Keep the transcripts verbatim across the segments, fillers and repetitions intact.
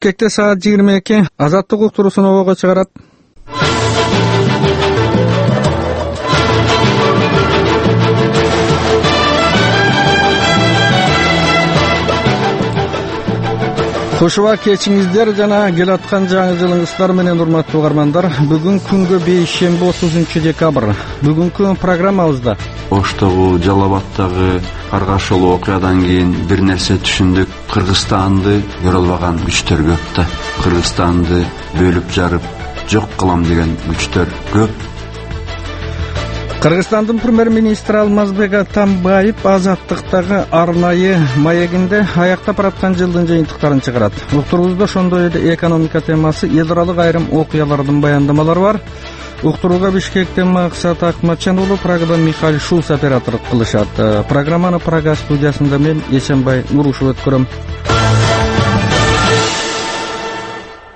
Кекте саат жыйырма эки Азаттык уктуруусун обого чыгарат. Кушуба кечиңиздер жана келаткан жаңы жылыңыздар менен урматтуу угармандар. Бүгүн күнгө бейшемби отузунчу декабрь. Бүгүнкү программабызда Оштогу, Жалал Абаддагы каргашылуу окуядан кийин бир нерсе түшүндүк. Кыргызстанды көрө албаган күчтөр көп да. Кыргызстанды бөлүп жарып жок кылам деген күчтөр көп. Кыргызстандын премьер-министри Алмазбек Атамбаев Азаттыктагы арнайы маегинде аяктап бараткан жылдын жыйынтыктарын чыгарат. Уктуруубузда ошондой эле экономика темасы, эл аралык айрым окуялардын баяндамалары бар. Уктурууга Бишкектен Максат Акматжан уулу, Прагадан Михаил Шулц операторлук кылышат. Программаны Прага студиясында мен Эсенбай Нурушев өткөрөм.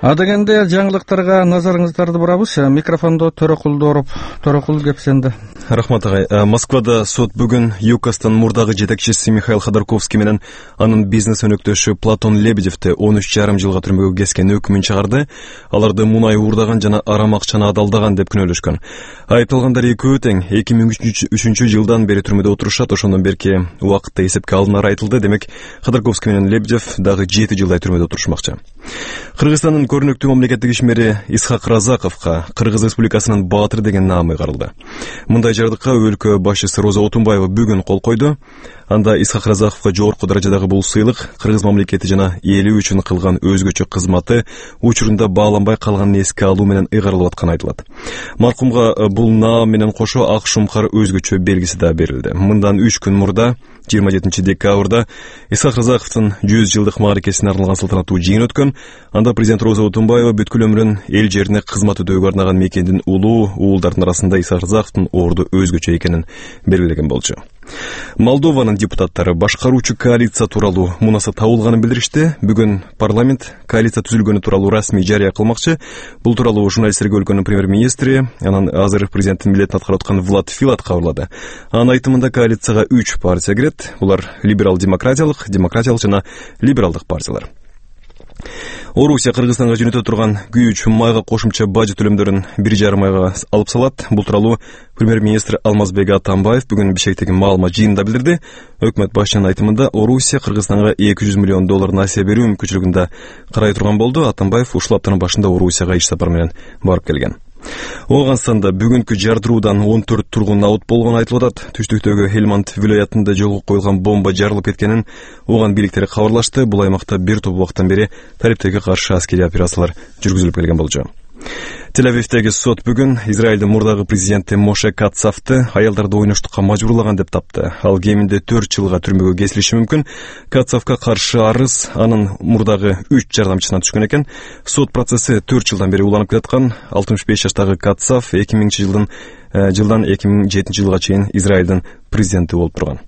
Адегенде жаңылыктарга назарыңыздарды бурабыз. Микрофондо Төрөкул Дооруп. Төрөкул, кеп сенде. Рахмат агай. Москвада сот бүгүн ЮКОстун мурдагы жетекчиси Михаил Ходорковский менен анын бизнес өнөктөшү Платон Лебедевди он үч жарым жылга түрмөгө кескен өкүмүн чыгарды. Аларды мунай уурдаган жана арам акчаны адалдаган деп күнөөлөшкөн. Айыпталгандар экөө тең эки миң үчүнчү жылдан бери түрмөдө отурушат. Ошондон берки убакытта эсепке алынары айтылды. Демек, Ходорковский менен Лебедев дагы жети жылдай түрмөдө отурушмакчы. Кыргызстандын көрүнүктүү мамлекеттик ишмери Исхак Разаковго Кыргыз Республикасынын баатыры деген наамы каралды. Мындай жардыкка өлкө башчысы Роза Отунбаева бүгүн кол койду. Анда Исхак Разаковго жогорку даражадагы бул сыйлык Кыргыз мамлекети жана эли үчүн кылган өзгөчө кызматы учурунда бааланбай калганын эске алуу менен ыйгарылып атканы айтылат. Маркумга бул наам менен кошо ак шумкар өзгөчө белгиси да берилди. Мындан үч күн мурда жыйырма жетинчи декабрда Исхак Разаковдун жүз жылдык мааракесине арналган салтанаттуу жыйын өткөн. Анда президент Роза Отунбаева бүткүл өмүрүн эл жерине кызмат өтөөгө арнаган мекендин улуу уулдардын арасында Исхак Разаковдун орду өзгөчө экенин белгилеген болчу. Молдованын депутаттары башкаруучу коалиция тууралуу мунаса табылганын билдиришти. Бүгүн парламент коалиция түзүлгөнү тууралуу расмий жарыя кылмакчы. Бул тууралуу журналисттерге өлкөнүн премьер-министри, анан азыр президенттин милдетин аткарып аткан Влад Филат кабарлады. Анын айтымында коалицияга үч партия кирет. Булар либерал-демократиялык, демократиялык жана либералдык партиялар. Орусия Кыргызстанга жөнөтө турган күйүүч майга кошумча бажы төлөмдөрүн бир жарым айга алып салат. Бул тууралуу премьер-министр Алмазбек Атамбаев бүгүн Бишкектеги маалымат жыйынында билдирди. Өкмөт башчынын айтымында Орусия Кыргызстанга эки жүз миллион доллар насыя берүү мүмкүнчүлүгүндө карай турган болду. Атамбаев ушул аптанын башында Орусияга иш сапар менен барып келген. Оганстанда бүгүнкү жардыруудан он төрт тургун абут болгону айтылып атат. Түштүктөгү Хельманд вилаятында жолго коюлган бомба жарылып кеткенин Оган бийликтери кабарлашты. Бул аймакта бир топ убакыттан бери талиптерге каршы аскерий операциялар жүргүзүлүп келген болчу. Тель-Авивдеги сот бүгүн Израилдин мурдагы президенти Моше Кацавды аялдарды ойноштукка мажбурлаган деп тапты. Ал кеминде төрт жылга түрмөгө кесилиши мүмкүн. Кацавга каршы арыз анын мурдагы үч жардамчысынан түшкөн экен. Сот процесси төрт жылдан бери уланып келаткан. алтымыш беш жаштагы Кацав эки миңинчи жылдын жылдан эки миң жетинчи жылга чейин Израилдин президенти болуп турган.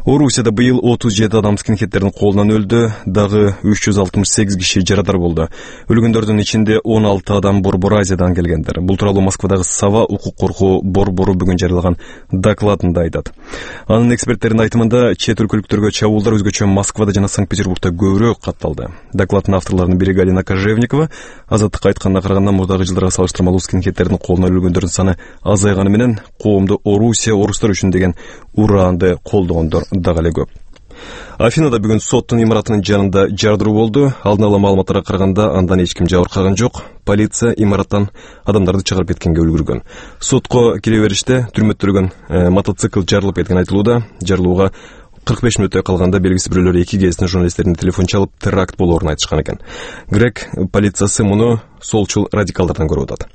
Орусияда быйыл отуз жети адам скинхедтердин колунан өлдү, дагы үч жүз алтымыш сегиз киши жарадар болду. Өлгөндөрдүн ичинде он алты адам Борбор Азиядан келгендер. Бул тууралуу Москвадагы Сава укук коргоо борбору бүгүн жарыялаган докладында айтат. Анын эксперттеринин айтымында чет өлкөлүктөргө чабуулдар өзгөчө Москвада жана Санкт-Петербургда көбүрөөк катталды. Докладдын авторлорунун бири Галина Кожевникова Азаттыкка айтканына караганда мурдагы жылдарга салыштырмалуу скинхедтердин колунан өлгөндөрдүн саны азайганы менен коомду Орусия орустар үчүн деген ураанды колдогондор дагы эле көп. Афинада бүгүн соттун имаратынын жанында жардыруу болду. Алдын ала маалыматтарга караганда андан эч ким жабыркаган жок. Полиция имараттан адамдарды чыгарып кеткенге үлгүргөн. Сотко кире бериште түрмөттөргөн э, мотоцикл жарылып кеткен айтылууда. Жарылууга кырк беш мүнөттөй калганда белгисиз бирөөлөр эки кезинен журналисттердин телефон чалып теракт болоорун айтышкан экен. Грек полициясы муну солчул радикалдардан көрүп атат.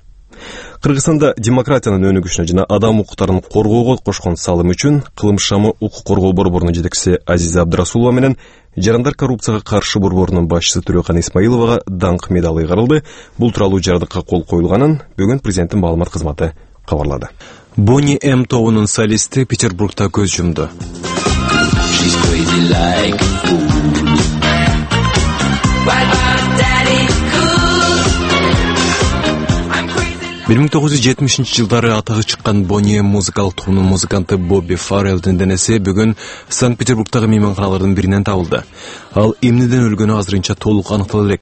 Кыргызстанда демократиянын өнүгүшүнө жана адам укуктарын коргоого кошкон салым үчүн кылмыш шамы укук коргоо борборунун жетекчиси Азиза Абдрасулова менен жарандар коррупцияга каршы борборунун башчысы Төрөкан Исмаиловага даңк медалы ыйгарылды. Бул тууралуу жардыкка кол коюлганын бүгүн президенттин маалымат кызматы кабарлады. Бонни М тобунун солисти Петербургда көз жумду. бир миң тогуз жүз жетимишинчи жылдары атагы чыккан Бонни музыкалык тобунун музыканты Бобби Фаррелдин денеси бүгүн Санкт-Петербургдагы мейманканалардын биринен табылды. Ал эмнеден өлгөнү азырынча толук аныктала элек.